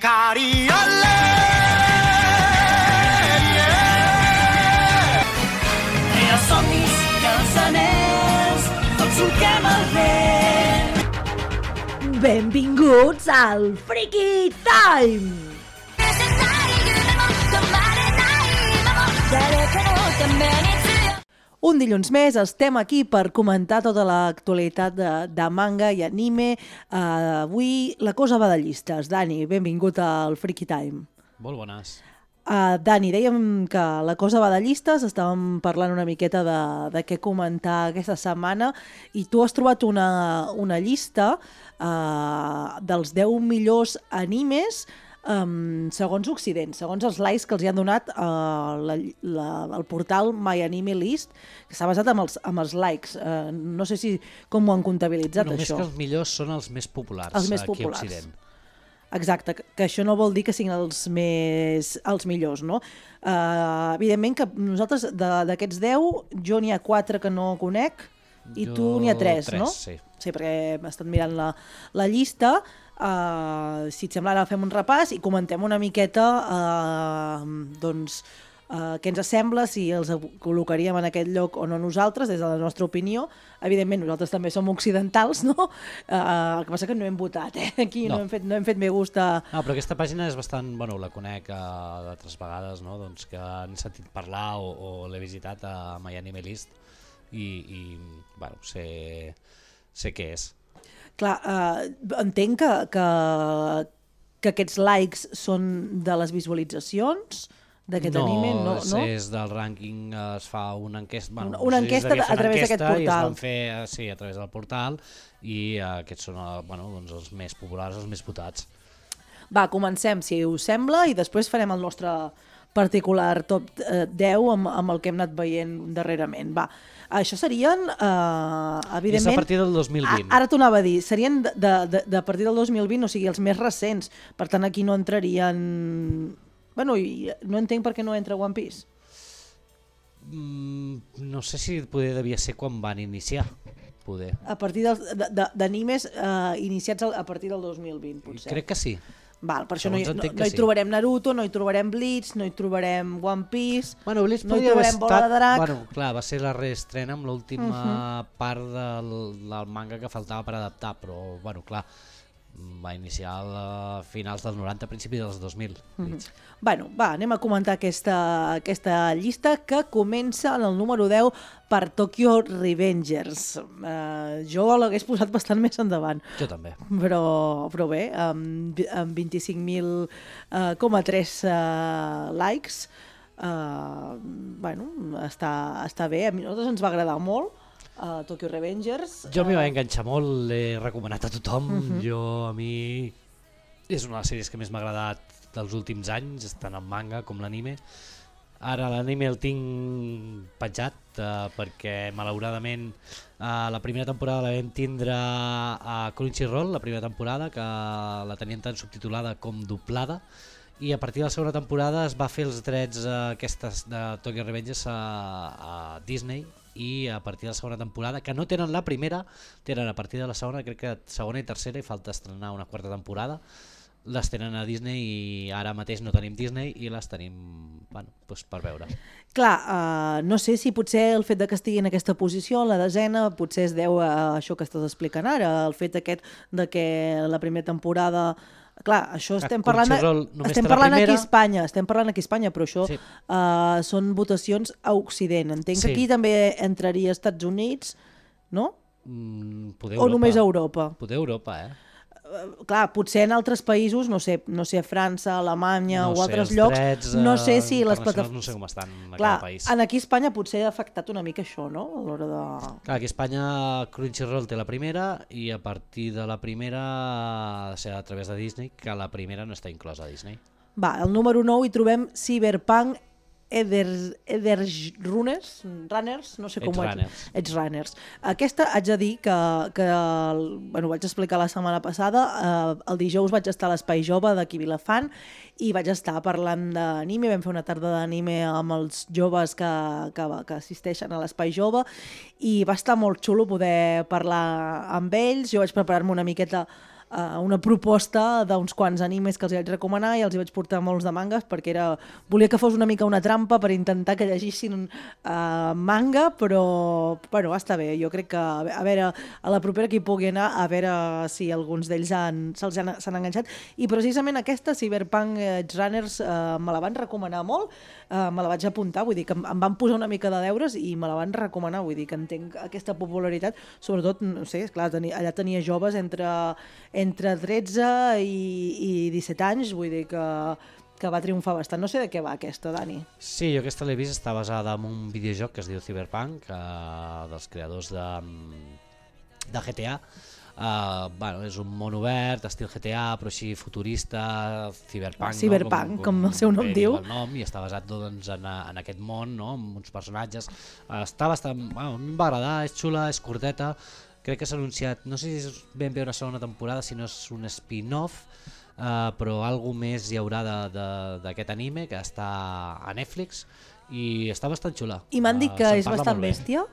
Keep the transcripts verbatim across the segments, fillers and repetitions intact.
Hikari ole, yeah. Crear somnis, cançoners, tots solquem el vent. Benvinguts al Freaky Time! Un dilluns més estem aquí per comentar tota l'actualitat de, de manga i anime. Uh, avui la cosa va de llistes. Dani, benvingut al Freaky Time. Molt bones. Uh, Dani, dèiem que la cosa va de llistes, estàvem parlant una miqueta de, de què comentar aquesta setmana i tu has trobat una, una llista uh, dels deu millors animes Um, segons Occident, segons els likes que els hi han donat uh, la, la, el portal My Anime List, que s'ha basat amb els, amb els likes. Uh, no sé si com ho han comptabilitzat, Només això. Només que els millors són els més populars, els més aquí populars. a Occident. Exacte, que, que això no vol dir que siguin els més els millors, no? Uh, evidentment que nosaltres d'aquests deu, jo n'hi ha quatre que no conec i jo... tu n'hi ha tres, tres, no? Sí. Sí, perquè hem estat mirant la, la llista. Uh, si et sembla, ara fem un repàs i comentem una miqueta uh, doncs, uh, què ens sembla, si els col·locaríem en aquest lloc o no nosaltres, des de la nostra opinió. Evidentment, nosaltres també som occidentals, no? Uh, el que passa que no hem votat, eh? Aquí no, no, hem, fet, no hem fet bé gust a... No, però aquesta pàgina és bastant... Bueno, la conec uh, d'altres vegades, no? Doncs que han sentit parlar o, o l'he visitat a My Anime List i, i bueno, sé, sé què és. Clar, eh, entenc que, que, que aquests likes són de les visualitzacions d'aquest no, anime, no? No, és del rànquing, es fa una enquesta... Bueno, una, una enquesta a través d'aquest portal. I es van fer, sí, a través del portal i uh, aquests són bueno, doncs els més populars, els més votats. Va, comencem, si us sembla, i després farem el nostre particular top deu amb, amb el que hem anat veient darrerament. Va, això serien, eh, evidentment... És a partir del dos mil vint. A, ara t'ho anava a dir, serien de, de, de, de partir del dos mil vint, o sigui, els més recents. Per tant, aquí no entrarien... Bueno, i no entenc per què no entra One Piece. Mm, no sé si poder devia ser quan van iniciar. Poder. A partir d'animes eh, iniciats a partir del dos mil vint, potser. Crec que sí. Val, per això no hi, no, no hi sí. trobarem Naruto, no hi trobarem Bleach, no hi trobarem One Piece, bueno, Bleach no hi trobarem Bola estat, de Drac. Bueno, clar, va ser la reestrena amb l'última uh -huh. part del, del manga que faltava per adaptar, però, bueno, clar, va iniciar a finals dels noranta, principis dels dos mil. Uh -huh. Bueno, va, anem a comentar aquesta, aquesta llista que comença en el número deu per Tokyo Revengers. Uh, jo l'hagués posat bastant més endavant. Jo també. Però, però bé, amb, amb vint-i-cinc mil coma tres uh, uh, likes, uh, bueno, està, està bé. A nosaltres ens va agradar molt. Uh, Tokyo Revengers. Jo m'hi va enganxar molt, l'he recomanat a tothom. Uh -huh. Jo, a mi, és una de les sèries que més m'ha agradat dels últims anys, tant el manga com l'anime. Ara l'anime el tinc penjat uh, perquè malauradament uh, la primera temporada la vam tindre a Crunchyroll, la primera temporada, que la tenien tant subtitulada com doblada, i a partir de la segona temporada es va fer els drets uh, aquestes de Tokyo Revengers a, a Disney, i a partir de la segona temporada, que no tenen la primera, tenen a partir de la segona, crec que segona i tercera, i falta estrenar una quarta temporada, les tenen a Disney i ara mateix no tenim Disney i les tenim, bueno, doncs per veure. Clar, uh, no sé si potser el fet de que estigui en aquesta posició, la desena, potser es deu a això que estàs explicant ara, el fet aquest de que la primera temporada... Clar, això estem parlant, estem parlant aquí a Espanya, estem parlant aquí a Espanya, però això sí. uh, són votacions a Occident. Entenc sí. que aquí també entraria als Estats Units, no? Mm, poder o Europa. només a Europa? Poder Europa, eh? Uh, clar, potser en altres països, no sé, no sé, França, Alemanya no o sé, altres llocs, drets, no sé si les plataformes... No sé com estan en clar, cada país. En aquí a Espanya potser ha afectat una mica això, no? A l'hora de... Clar, aquí a Espanya Crunchyroll té la primera i a partir de la primera ha de ser a través de Disney, que la primera no està inclosa a Disney. Va, al número nou hi trobem Cyberpunk Edge Runners, Runners, no sé com ho haig... Edge Runners. Aquesta haig de dir que, que bueno, ho vaig explicar la setmana passada, eh, el dijous vaig estar a l'Espai Jove d'aquí Vilafant i vaig estar parlant d'anime, vam fer una tarda d'anime amb els joves que, que, que assisteixen a l'Espai Jove i va estar molt xulo poder parlar amb ells. Jo vaig preparar-me una miqueta uh, una proposta d'uns quants animes que els vaig recomanar i els hi vaig portar molts de mangas perquè era, volia que fos una mica una trampa per intentar que llegissin uh, manga, però bueno, està bé, jo crec que a veure, a la propera que hi pugui anar, a veure si alguns d'ells se'ls han, s'han enganxat, i precisament aquesta Cyberpunk Edge Runners uh, me la van recomanar molt, uh, me la vaig apuntar, vull dir que em, em van posar una mica de deures i me la van recomanar, vull dir que entenc aquesta popularitat, sobretot, no sé, esclar, tenia, allà tenia joves entre, entre tretze i, i disset anys, vull dir que que va triomfar bastant. No sé de què va aquesta, Dani. Sí, jo aquesta l'he vist, està basada en un videojoc que es diu Cyberpunk, eh, dels creadors de, de G T A. Uh, bueno, és un món obert, estil G T A, però així futurista, Cyberpunk, Cyberpunk, no? com, com, com el seu nom diu. El nom, i està basat doncs, en, en aquest món, no? Amb uns personatges. Uh, està bastant... Bueno, a mi em va agradar, és xula, és curteta. Crec que s'ha anunciat, no sé si és ben bé una segona temporada, si no és un spin-off, Uh, però alguna més hi haurà d'aquest anime que està a Netflix i està bastant xula. I m'han dit que uh, és bastant bèstia?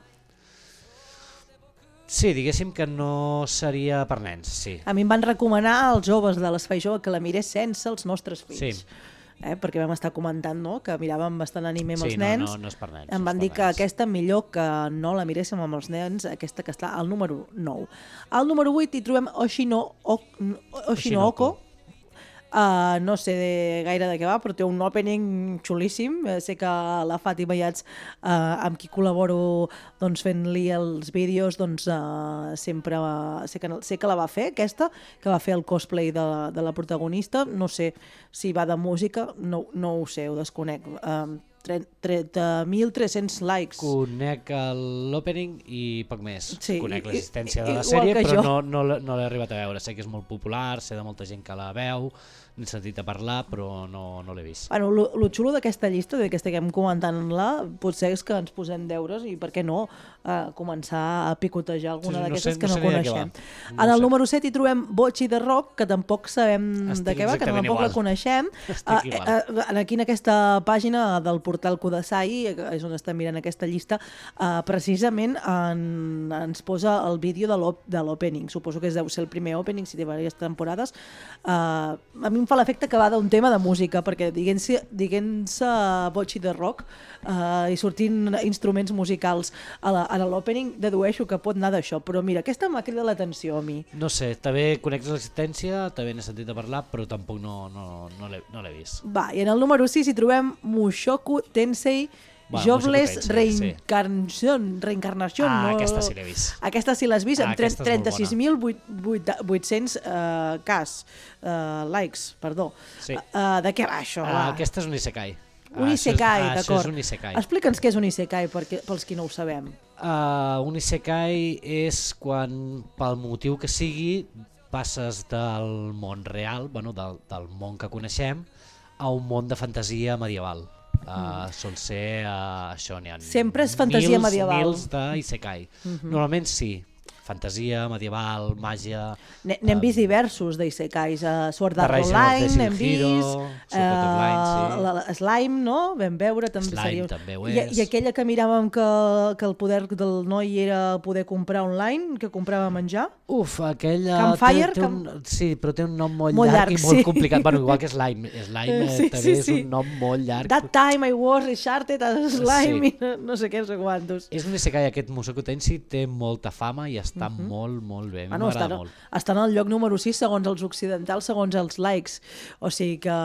Sí, diguéssim que no seria per nens, sí. A mi em van recomanar als joves de l'Espai Jove que la mirés sense els nostres fills. Sí. Eh, perquè vam estar comentant, no?, que miràvem bastant anime amb sí, els nens. No, no, no és per nens. Em van dir que nens. Aquesta millor que no la miréssim amb els nens, aquesta que està al número nou. Al número vuit hi trobem Oshino, o, Oshinoko. Uh, no sé de, gaire de què va, però té un opening xulíssim. Uh, sé que la Fàtima Iats, uh, amb qui col·laboro doncs, fent-li els vídeos, doncs, uh, sempre uh, sé, que, sé que la va fer, aquesta, que va fer el cosplay de, de la protagonista. No sé si va de música, no, no ho sé, ho desconec. Uh, trenta mil tres-cents likes. Conec l'opening i poc més. Sí, conec l'existència de la igual sèrie, però jo. no, no, no l'he arribat a veure. Sé que és molt popular, sé de molta gent que la veu, n'he sentit a parlar, però no, no l'he vist. Bueno, lo, lo xulo d'aquesta llista, de que estiguem comentant-la, potser és que ens posem deures i, per què no, uh, començar a picotejar alguna sí, d'aquestes no que no, no coneixem. No en el sé. Número set hi trobem Bocchi de Rock, que tampoc sabem Estic de què va, que tampoc igual. La coneixem. Uh, uh, aquí en aquesta pàgina del portal Kudasai, és on estem mirant aquesta llista, uh, precisament en, ens posa el vídeo de l'opening. Suposo que deu ser el primer opening, si té diverses temporades. Uh, a mi em fa l'efecte que va d'un tema de música, perquè diguent-se diguent-se Bocchi de Rock uh, i sortint instruments musicals a l'opening, dedueixo que pot anar d'això, però mira, aquesta m'ha cridat l'atenció a mi. No sé, també conec l'existència, també n'he sentit a parlar, però tampoc no, no, no l'he no vist. Va, i en el número sis hi trobem Mushoku Tensei Bueno, Jobless Reincarnation. Reincarnation ah, no... aquesta sí l'he vist. Aquesta sí l'has vist, ah, amb trenta-sis mil vuit-cents uh, cas, uh, likes, perdó. Sí. Uh, de què va això? Uh, va? Aquesta és un isekai. Un isekai, ah, d'acord. Això és un isekai. Explica'ns què és un isekai perquè, pels qui no ho sabem. Uh, un isekai és quan, pel motiu que sigui, passes del món real, bueno, del, del món que coneixem, a un món de fantasia medieval. Uh, sol ser uh, això, n'hi ha sempre és fantasia mils, medieval. Mils d'isekai. Uh-huh. Normalment sí, fantasia, medieval, màgia... N'hem um, vist diversos d'Isekais, uh, Sword Art Online, n'hem vist, uh, Slime, no? Vam veure, també Slime seria... també ho I, és. I aquella que miràvem que, que el poder del noi era poder comprar online, que comprava menjar? Uf, aquella... Campfire? Té, té un, sí, però té un nom molt, molt llarg, llarg i molt sí. complicat. Bueno, igual que Slime. Slime sí, també sí, és sí. un nom molt llarg. That time I was Uncharted as Slime, sí. i no, no sé què, no sé quantos. És un isekai, aquest Mushoku Tensei té molta fama i està uh-huh. molt, molt bé. Ah, no, està, molt. Està en el lloc número sis segons els occidentals, segons els likes. O sigui que...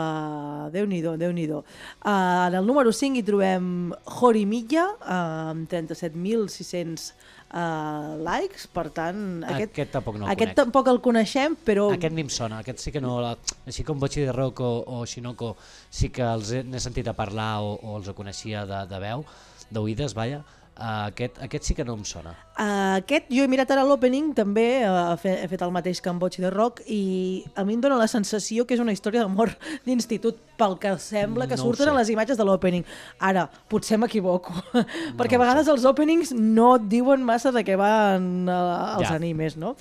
Déu-n'hi-do, Déu-n'hi-do. Uh, en el número cinc hi trobem Horimiya, uh, amb trenta-set mil sis-cents uh, likes, per tant... Aquest, aquest tampoc no el aquest conec. tampoc el coneixem, però... Aquest ni em sona, aquest sí que no... Així com Bocchi de Rock o, o Shinoko sí que els he, n'he sentit a parlar o, o els coneixia de, de veu, d'oïdes, vaja. Uh, aquest, aquest sí que no em sona. Uh, aquest, jo he mirat ara l'opening, també uh, he, fet, he fet el mateix que en Bocchi de Rock, i a mi em dóna la sensació que és una història d'amor d'institut, pel que sembla que no surten a les imatges de l'opening. Ara, potser m'equivoco, no perquè a vegades els openings no et diuen massa de què van uh, els ja. animes, no?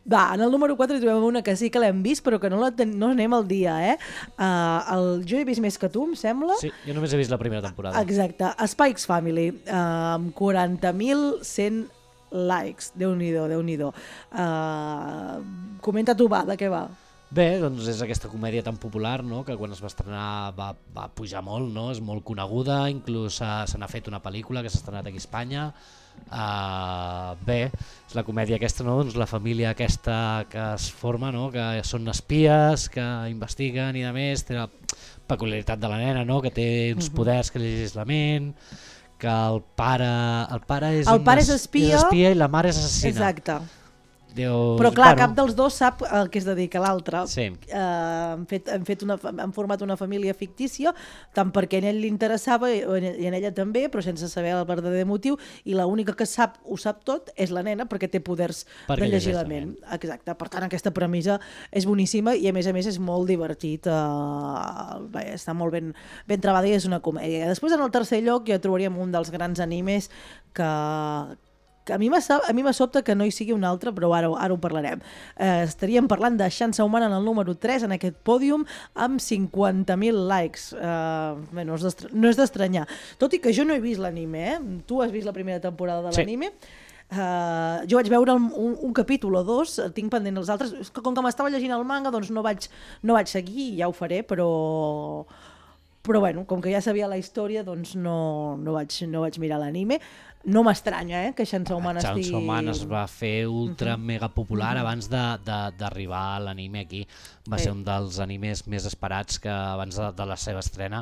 Va, en el número quatre hi trobem una que sí que l'hem vist, però que no, la ten... no anem al dia, eh? Uh, el... Jo he vist més que tu, em sembla. Sí, jo només he vist la primera temporada. Exacte. Spikes Family, uh, amb quaranta mil cent likes. Déu-n'hi-do, Déu-n'hi-do. Uh, comenta tu, va, de què va? Bé, doncs és aquesta comèdia tan popular, no?, que quan es va estrenar va, va pujar molt, no? És molt coneguda, inclús se n'ha fet una pel·lícula que s'ha estrenat aquí a Espanya. Uh, bé, és la comèdia aquesta, no?, doncs la família aquesta que es forma, no?, que són espies, que investiguen i de més, té la peculiaritat de la nena, no?, que té uns poders que llegeix la ment, que el pare, el pare, és, el pare es, és, espia, és espia i la mare és assassina. Exacte. Déu, però clar, bueno, cap dels dos sap el que es dedica a l'altre. Sí. Uh, han, fet, han, fet una, han format una família fictícia, tant perquè en ell li interessava i en ella també, però sense saber el verdader motiu, i l'única que sap, ho sap tot és la nena, perquè té poders perquè de llegir la ment. Exacte. Per tant, aquesta premissa és boníssima i a més a més és molt divertit. Uh, bé, està molt ben, ben trebada i és una comèdia. Després, en el tercer lloc, ja trobaríem un dels grans animes que... que a mi me sobta que no hi sigui un altre, però ara, ara ho parlarem. Eh, estaríem parlant de Xansa Humana en el número tres, en aquest pòdium, amb cinquanta mil likes. Eh, bé, no és d'estranyar. Tot i que jo no he vist l'anime, eh? Tu has vist la primera temporada de l'anime? Sí. Uh, jo vaig veure un, un capítol o dos, tinc pendent els altres, com que m'estava llegint el manga, doncs no vaig, no vaig seguir, ja ho faré, però... però bueno, com que ja sabia la història, doncs no, no, vaig, no vaig mirar l'anime. No m'estranya, eh, que Xansa Humana estigui... Xansa Humana es va fer ultra mega popular abans d'arribar a l'anime aquí. Va ser un dels animes més esperats que abans de, de la seva estrena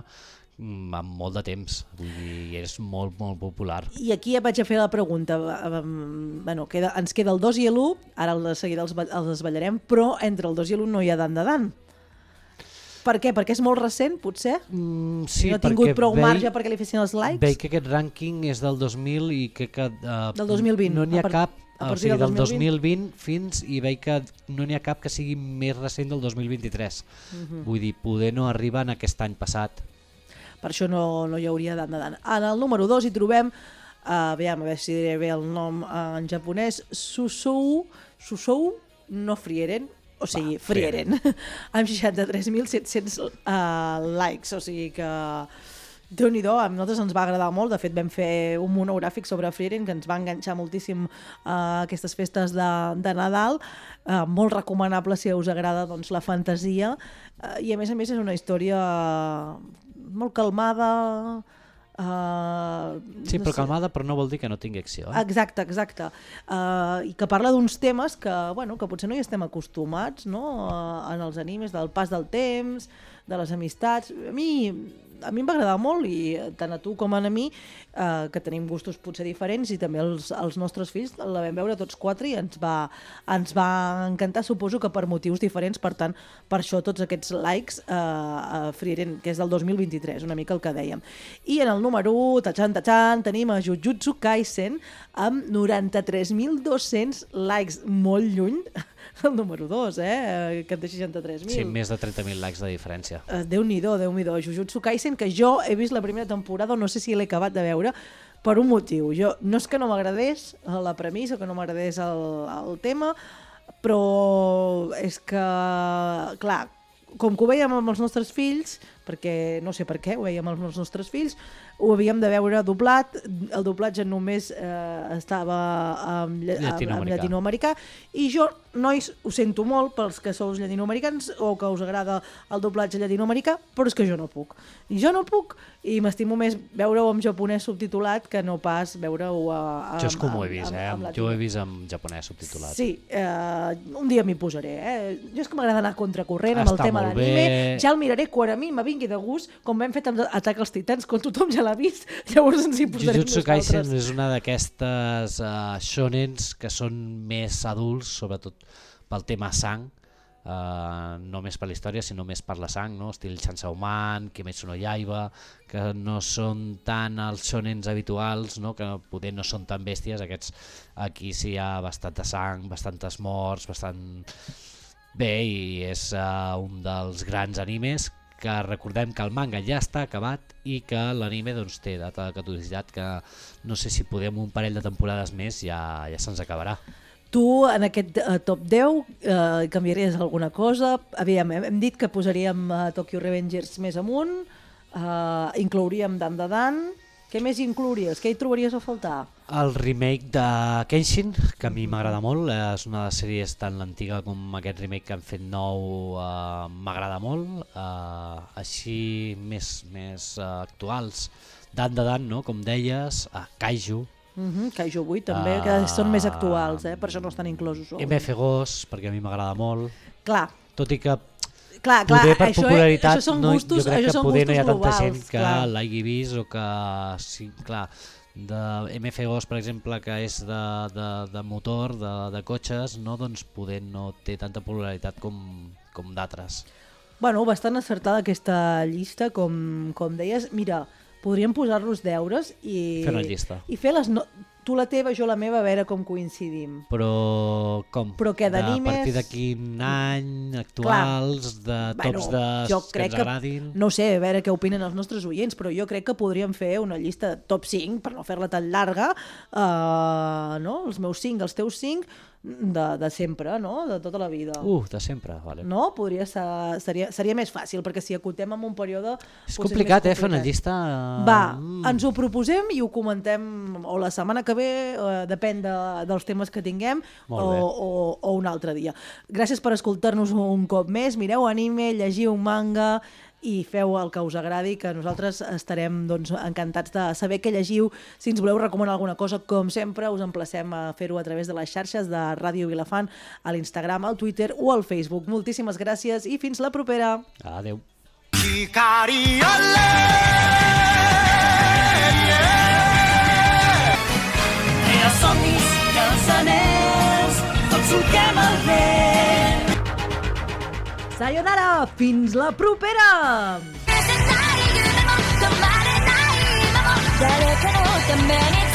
amb molt de temps. Vull dir, és molt, molt popular. I aquí ja vaig a fer la pregunta. Bueno, queda, ens queda el dos i l'u, ara de seguida els, els desballarem, però entre el dos i l'u no hi ha Dan de Dan. Per què? Perquè és molt recent, potser? Mm, sí, no ha tingut prou veig, marge perquè li fessin els likes? Veig que aquest rànquing és del dos mil i que... que uh, del dos mil vint. No n'hi ha per, cap, o sigui, del del dos mil vint fins, i veig que no n'hi ha cap que sigui més recent del dos mil vint-i-tres. Uh-huh. Vull dir, poder no arriba en aquest any passat. Per això no, no hi hauria Dan de Dan. En el número dos hi trobem, uh, aviam, a veure si diré bé el nom uh, en japonès, Susou, Susou no Frieren, o sigui, Va, Frieren, amb seixanta-tres mil set-cents uh, likes, o sigui que Déu-n'hi-do, a nosaltres ens va agradar molt. De fet vam fer un monogràfic sobre Frieren que ens va enganxar moltíssim a uh, aquestes festes de, de Nadal, uh, molt recomanable si us agrada doncs, la fantasia, uh, i a més a més és una història molt calmada. Uh, sí, no però sé. calmada, però no vol dir que no tingui acció. Eh? Exacte, exacte. Uh, I que parla d'uns temes que, bueno, que potser no hi estem acostumats, no? Uh, en els animes, del pas del temps, de les amistats. A mi, a mi em va agradar molt, i tant a tu com a mi, uh, que tenim gustos potser diferents, i també els, els nostres fills la vam veure tots quatre i ens va, ens va encantar, suposo que per motius diferents. Per tant, per això tots aquests likes uh, a Frieren, que és del dos mil vint-i-tres, una mica el que dèiem. I en el número u, tachan, tachan, tenim a Jujutsu Kaisen amb noranta-tres mil dos-cents likes, molt lluny el número dos, eh? Que té seixanta-tres mil. Sí, més de trenta mil likes de diferència. Uh, Déu-n'hi-do, Déu-n'hi-do. Jujutsu Kaisen, que jo he vist la primera temporada, no sé si l'he acabat de veure, per un motiu. Jo, no és que no m'agradés la premissa, que no m'agradés el, el tema, però és que, clar, com que ho veiem amb els nostres fills, perquè no sé per què ho veiem amb els nostres fills, ho havíem de veure doblat, el doblatge només eh, estava en, llatinoamericà. en llatinoamericà, i jo, nois, ho sento molt pels que sou llatinoamericans o que us agrada el doblatge llatinoamericà, però és que jo no puc. I jo no puc, i m'estimo més veure-ho en japonès subtitulat que no pas veure-ho a, a, jo és com ho he vist, amb, eh? amb jo ho he vist en japonès subtitulat. Sí, eh, un dia m'hi posaré. Eh? Jo és que m'agrada anar contracorrent amb Està el tema molt d'anime. bé. Ja el miraré quan a mi m'avingui de gust, com vam fet amb Atac als Titans, quan tothom ja l'ha vist, llavors ens hi posarem Jujutsu nosaltres. Kaisen és una d'aquestes uh, shonens que són més adults, sobretot pel tema sang, uh, no més per la història, sinó més per la sang, no? Estil Chainsaw Man, Kimetsu no Yaiba, que no són tan els shonens habituals, no? Que poder no són tan bèsties. Aquests, aquí sí hi ha bastanta sang, bastantes morts, bastant... Bé, i és uh, un dels grans animes que recordem que el manga ja està acabat i que l'anime doncs, té data de caducitat, que no sé si podem un parell de temporades més ja, ja se'ns acabarà. Tu, en aquest uh, top deu, uh, canviaries alguna cosa? Aviam, hem, hem dit que posaríem uh, Tokyo Revengers més amunt, uh, inclouríem Dan de Dan. Què més inclouries? Què hi trobaries a faltar? El remake de Kenshin, que a mi m'agrada molt, és una de les sèries tan l'antiga com aquest remake que han fet nou, eh, m'agrada molt, eh, així més, més eh, actuals, Dan de Dan, no? Com deies, eh, Kaiju, Uh-huh, Kaiju vuit també, que són més actuals, eh? Per això no estan inclosos. M F Ghost, perquè a mi m'agrada molt, Clar, tot i que clar, clar, poder per això, popularitat, això són no, gustos, jo crec això que són poder no hi ha gustos tanta globals, gent que clar. l'hagi vist o que, sí, clar, de M F Ghost, per exemple, que és de, de, de motor, de, de cotxes, no, doncs poder no té tanta popularitat com, com d'altres. Bueno, bastant acertada aquesta llista, com, com deies. Mira, podríem posar-nos deures i... Fer una llista. I fer les... No... Tu la teva, jo la meva, a veure com coincidim. Però com? Però què, d'animes? A partir de quin any, actuals, de Bueno, tops de jo que crec ens que, agradin... no sé, a veure què opinen els nostres oients, però jo crec que podríem fer una llista de top cinc, per no fer-la tan llarga, uh, no? Els meus cinc, els teus cinc, de, de sempre, no? De tota la vida. Uh, de sempre, vale. No? Podria ser, seria, seria més fàcil, perquè si acotem en un període... És potser complicat, més eh, fer una llista... Va, Mm. ens ho proposem i ho comentem o la setmana que ve, eh, depèn de, dels temes que tinguem, o, Molt bé. o, o un altre dia. Gràcies per escoltar-nos un cop més, mireu anime, llegiu manga i feu el que us agradi, que nosaltres estarem doncs, encantats de saber què llegiu. Si ens voleu recomanar alguna cosa, com sempre, us emplacem a fer-ho a través de les xarxes de Ràdio Vilafant, a l'Instagram, al Twitter o al Facebook. Moltíssimes gràcies i fins la propera. Adéu. Els somnis i els anells, tots solquem el vent. Sayonara! Fins la propera! 誰かのために